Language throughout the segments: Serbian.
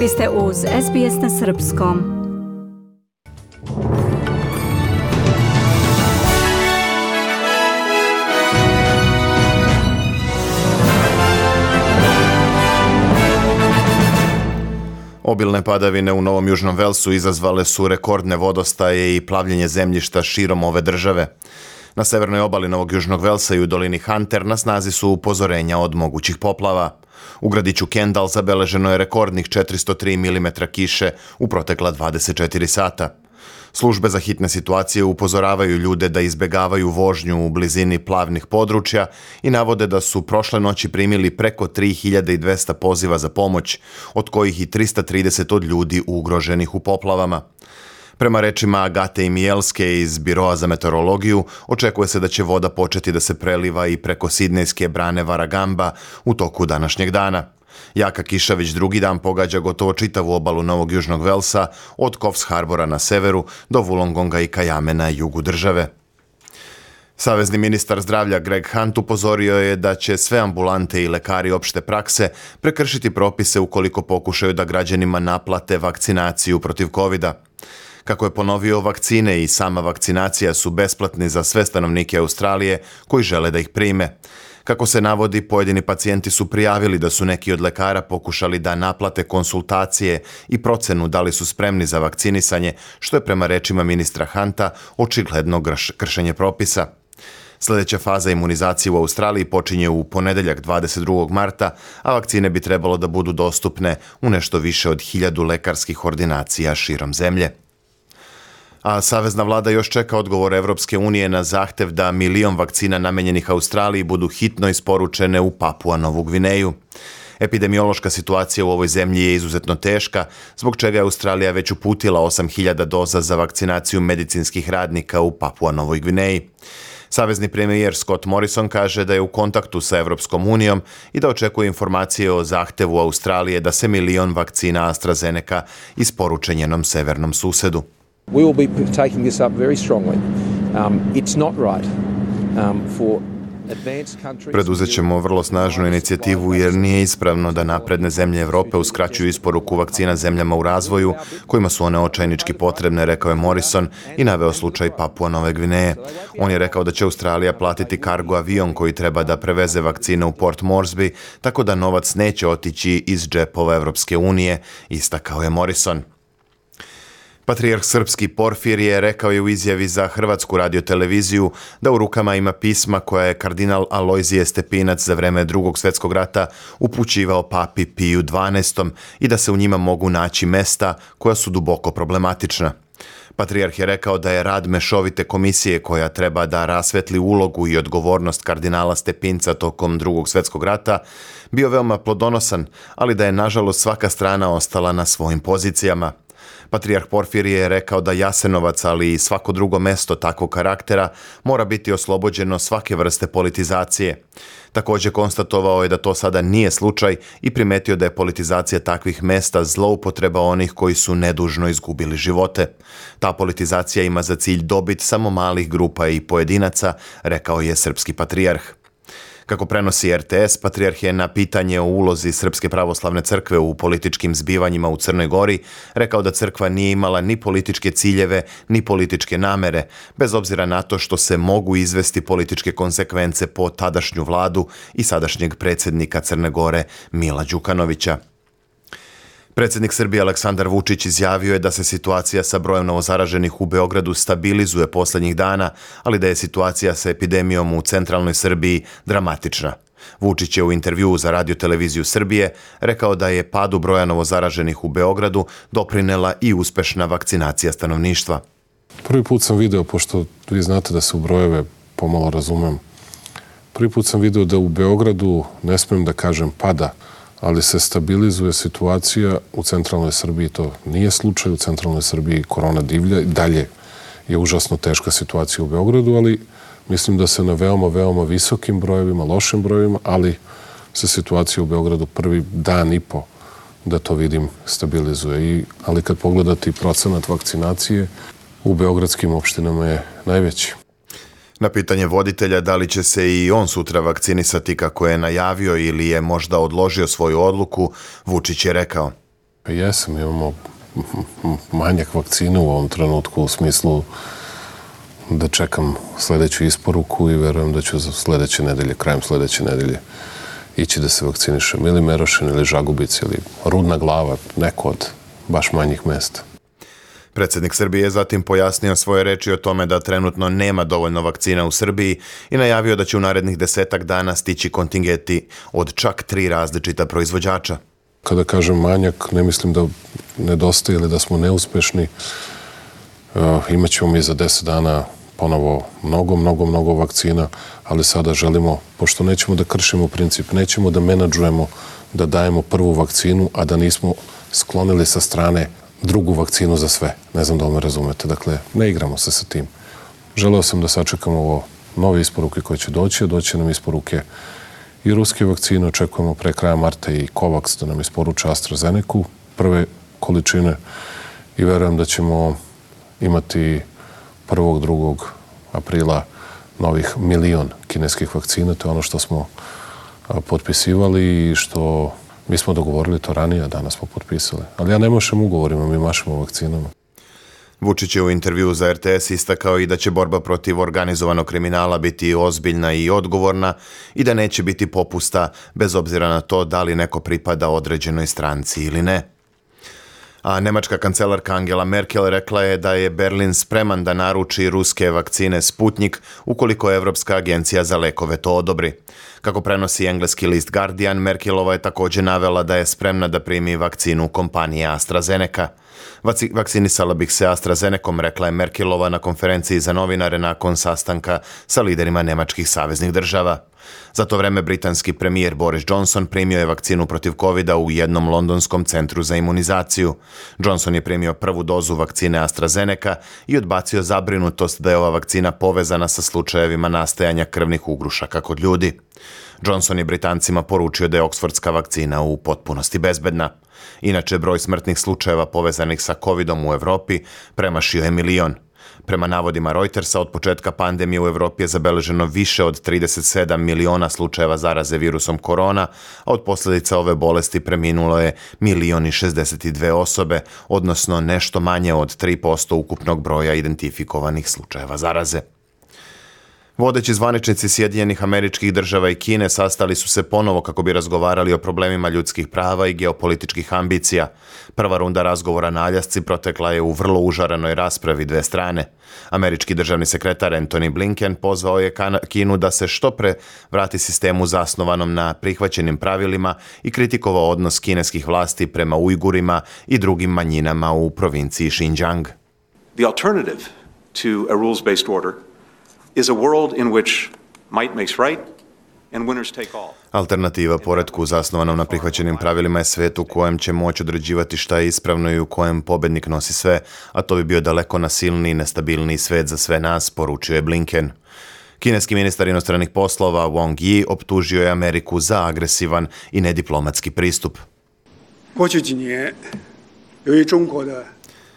Vi ste uz SBS na srpskom. Obilne padavine u Novom Južnom Velsu izazvale su rekordne vodostaje i plavljenje zemljišta širom ove države. Na severnoj obali Novog Južnog Velsa i u dolini Hunter na snazi su upozorenja od mogućih poplava. U gradiću Kendall zabeleženo je rekordnih 403 mm kiše u protekla 24 sata. Službe za hitne situacije upozoravaju ljude da izbegavaju vožnju u blizini plavnih područja i navode da su prošle noći primili preko 3200 poziva za pomoć, od kojih i 330 od ljudi ugroženih u poplavama. Prema rečima Agate Imijelske iz Biroa za meteorologiju, očekuje se da će voda početi da se preliva i preko sidnejske brane Warragamba u toku današnjeg dana. Jaka kiša već drugi dan pogađa gotovo čitavu obalu Novog Južnog Velsa, od Coffs Harbora na severu do Wollongonga i Kajame na jugu države. Savezni ministar zdravlja Greg Hunt upozorio je da će sve ambulante i lekari opšte prakse prekršiti propise ukoliko pokušaju da građanima naplate vakcinaciju protiv covida. Kako je ponovio, vakcine i sama vakcinacija su besplatni za sve stanovnike Australije koji žele da ih prime. Kako se navodi, pojedini pacijenti su prijavili da su neki od lekara pokušali da naplate konsultacije i procenu da li su spremni za vakcinisanje, što je prema rečima ministra Hunta očigledno kršenje propisa. Sljedeća faza imunizacije u Australiji počinje u ponedeljak 22. marta, a vakcine bi trebalo da budu dostupne u nešto više od 1000 lekarskih ordinacija širom zemlje. A savezna vlada još čeka odgovor Evropske unije na zahtev da 1 milion vakcina namenjenih Australiji budu hitno isporučene u Papua Novu Gvineju. Epidemiološka situacija u ovoj zemlji je izuzetno teška, zbog čega je Australija već uputila 8000 doza za vakcinaciju medicinskih radnika u Papua Novoj Gvineji. Savezni premijer Scott Morrison kaže da je u kontaktu sa Evropskom unijom i da očekuje informacije o zahtevu Australije da se 1 milion vakcina AstraZeneca isporuče njenom severnom susedu. We will be taking this up very strongly. It's not right for advanced countries. Preduzet ćemo vrlo snažnu inicijativu jer nije ispravno da napredne zemlje Evrope uskraćuju isporuku vakcina zemljama u razvoju kojima su one očajnički potrebne, rekao je Morrison i naveo slučaj Papua Nove Gvineje. On je rekao da će Australija platiti kargo avion koji treba da preveze vakcine u Port Moresby, tako da novac neće otići iz džepova Evropske unije, istakao je Morrison. Patrijarh srpski Porfirije rekao je u izjavi za Hrvatsku radioteleviziju da u rukama ima pisma koja je kardinal Alojzije Stepinac za vreme Drugog svjetskog rata upućivao papi Piju XII i da se u njima mogu naći mesta koja su duboko problematična. Patrijarh je rekao da je rad mešovite komisije koja treba da rasvetli ulogu i odgovornost kardinala Stepinca tokom Drugog svjetskog rata bio veoma plodonosan, ali da je nažalost svaka strana ostala na svojim pozicijama. Patrijarh Porfirije je rekao da Jasenovac, ali i svako drugo mesto takvog karaktera mora biti oslobođeno svake vrste politizacije. Također konstatovao je da to sada nije slučaj i primetio da je politizacija takvih mesta zloupotreba onih koji su nedužno izgubili živote. Ta politizacija ima za cilj dobit samo malih grupa i pojedinaca, rekao je srpski patrijarh. Kako prenosi RTS, patrijarh je na pitanje o ulozi Srpske pravoslavne crkve u političkim zbivanjima u Crnoj Gori rekao da crkva nije imala ni političke ciljeve, ni političke namere, bez obzira na to što se mogu izvesti političke konsekvence po tadašnju vladu i sadašnjeg predsjednika Crne Gore Mila Đukanovića. Predsjednik Srbije Aleksandar Vučić izjavio je da se situacija sa brojem novozaraženih u Beogradu stabilizuje posljednjih dana, ali da je situacija sa epidemijom u centralnoj Srbiji dramatična. Vučić je u intervjuu za radioteleviziju Srbije rekao da je padu broja novozaraženih u Beogradu doprinela i uspešna vakcinacija stanovništva. Prvi put sam video, pošto vi znate da se u brojeve pomalo razumem, prvi put sam video da u Beogradu, ne smijem da kažem pada, ali se stabilizuje situacija u centralnoj Srbiji. To nije slučaj u centralnoj Srbiji, korona divlja. Dalje je užasno teška situacija u Beogradu, ali mislim da se na veoma, veoma visokim brojevima, lošim brojevima, ali se situacija u Beogradu prvi dan i po, da to vidim, stabilizuje. Ali kad pogledate procenat vakcinacije, u beogradskim opštinama je najveći. Na pitanje voditelja da li će se i on sutra vakcinisati kako je najavio ili je možda odložio svoju odluku, Vučić je rekao: Jesam, imamo manjak vakcine u ovom trenutku u smislu da čekam sledeću isporuku i verujem da ću za krajem sledeće nedelje ići da se vakcinišem. Ili Merošin, ili Žagubic, ili Rudna Glava, neko od baš manjih mesta. Predsjednik Srbije je zatim pojasnio svoje reči o tome da trenutno nema dovoljno vakcina u Srbiji i najavio da će u narednih 10 dana stići kontingenti od čak 3 različita proizvođača. Kada kažem manjak, ne mislim da nedostaje ili da smo neuspešni. Imaćemo mi za 10 dana ponovo mnogo vakcina, ali sada želimo, pošto nećemo da kršimo princip, nećemo da menadžujemo, da dajemo prvu vakcinu, a da nismo sklonili sa strane drugu vakcinu za sve. Ne znam da li me razumete. Dakle, ne igramo se sa tim. Želeo sam da sačekamo ovo nove isporuke koje će doći nam isporuke i ruske vakcine. Očekujemo pre kraja marta i Covax da nam isporuče AstraZeneca, prve količine, i verujem da ćemo imati 1. 2. aprila novih 1 milion kineskih vakcina. To je ono što smo potpisivali i što mi smo dogovorili to ranije, a danas smo potpisali. Ali ja ne mašem ugovorima, mi mašemo vakcinama. Vučić je u intervjuu za RTS istakao i da će borba protiv organizovanog kriminala biti ozbiljna i odgovorna i da neće biti popusta bez obzira na to da li neko pripada određenoj stranci ili ne. A nemačka kancelarka Angela Merkel rekla je da je Berlin spreman da naruči ruske vakcine Sputnik ukoliko Evropska agencija za lekove to odobri. Kako prenosi engleski list Guardian, Merkelova je također navela da je spremna da primi vakcinu kompanije AstraZeneca. Vakcinisala bih se AstraZenecom, rekla je Merkelova na konferenciji za novinare nakon sastanka sa liderima nemačkih saveznih država. Za to vreme britanski premijer Boris Johnson primio je vakcinu protiv covida u jednom londonskom centru za imunizaciju. Johnson je primio prvu dozu vakcine AstraZeneca i odbacio zabrinutost da je ova vakcina povezana sa slučajevima nastajanja krvnih ugrušaka kod ljudi. Johnson je Britancima poručio da je oksfordska vakcina u potpunosti bezbedna. Inače, broj smrtnih slučajeva povezanih sa covidom u Evropi premašio je 1 milion. Prema navodima Reutersa, od početka pandemije u Evropi je zabeleženo više od 37 miliona slučajeva zaraze virusom korona, a od posljedica ove bolesti preminulo je 1.062 osobe, odnosno nešto manje od 3% ukupnog broja identifikovanih slučajeva zaraze. Vodeći zvaničnici Sjedinjenih Američkih Država i Kine sastali su se ponovo kako bi razgovarali o problemima ljudskih prava i geopolitičkih ambicija. Prva runda razgovora na Aljasci protekla je u vrlo užarenoj raspravi dve strane. Američki državni sekretar Antony Blinken pozvao je Kinu da se što pre vrati sistemu zasnovanom na prihvaćenim pravilima i kritikovao odnos kineskih vlasti prema Ujgurima i drugim manjinama u provinciji Xinjiang. The alternative to a rules-based order is a world in which might makes right and winners take all. Alternativa poretku zasnovanom na prihvaćenim pravilima je svet u kojem će moći određivati šta je ispravno i u kojem pobednik nosi sve, a to bi bio daleko nasilniji i nestabilniji svet za sve nas, poručio je Blinken. Kineski ministar inostranih poslova Wang Yi optužio je Ameriku za agresivan i nediplomatski pristup.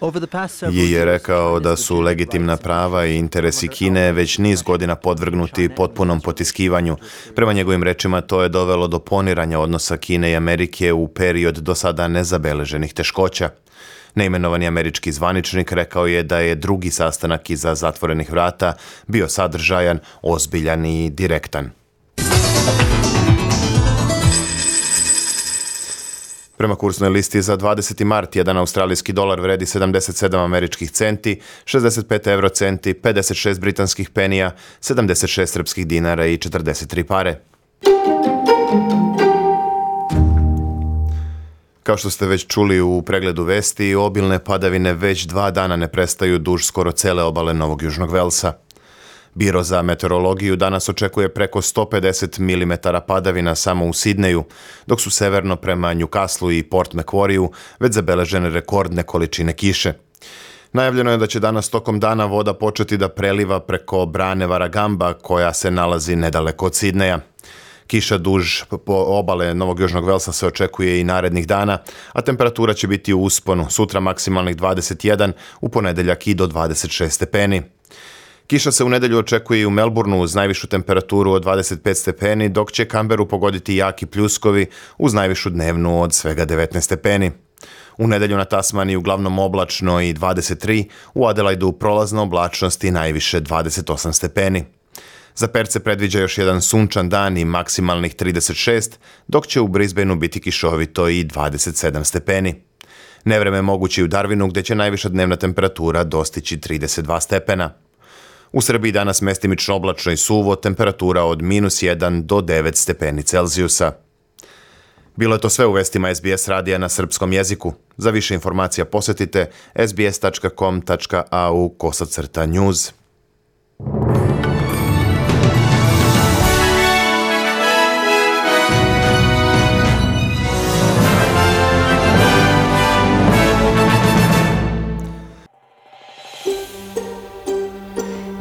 Yi je rekao da su legitimna prava i interesi Kine već niz godina podvrgnuti potpunom potiskivanju. Prema njegovim rečima to je dovelo do poniranja odnosa Kine i Amerike u period do sada nezabeleženih teškoća. Neimenovani američki zvaničnik rekao je da je drugi sastanak iza zatvorenih vrata bio sadržajan, ozbiljan i direktan. Prema kursnoj listi za 20. mart, jedan australijski dolar vredi 77 američkih centi, 65 eurocenti, 56 britanskih penija, 76 srpskih dinara i 43 pare. Kao što ste već čuli u pregledu vesti, obilne padavine već 2 dana ne prestaju duž skoro cele obale Novog Južnog Velsa. Biro za meteorologiju danas očekuje preko 150 mm padavina samo u Sidneju, dok su severno prema Newcastlu i Port Macquarieju već zabeležene rekordne količine kiše. Najavljeno je da će danas tokom dana voda početi da preliva preko brane Warragamba, koja se nalazi nedaleko od Sidneja. Kiša duž po obale Novog Južnog Velsa se očekuje i narednih dana, a temperatura će biti u usponu, sutra maksimalnih 21, u ponedeljak i do 26 stepeni. Kiša se u nedelju očekuje i u Melbourneu uz najvišu temperaturu od 25 stepeni, dok će Canberru pogoditi jaki pljuskovi uz najvišu dnevnu od svega 19 stepeni. U nedelju na Tasmaniji uglavnom oblačno i 23, u Adelaidu prolazna oblačnost i najviše 28 stepeni. Za Perth se predviđa još jedan sunčan dan i maksimalnih 36, dok će u Brisbaneu biti kišovito i 27 stepeni. Nevreme je moguće i u Darwinu gdje će najviša dnevna temperatura dostići 32 stepena. U Srbiji danas mestimično oblačno i suvo, temperatura od -1 do 9 stepeni Celzijusa. Bilo je to sve u vestima SBS radija na srpskom jeziku. Za više informacija posjetite sbs.com.au/news.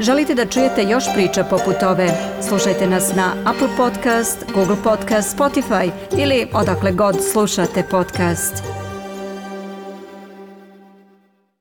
Želite da čujete još priča poput ove? Slušajte nas na Apple Podcast, Google Podcast, Spotify ili odakle god slušate podcast.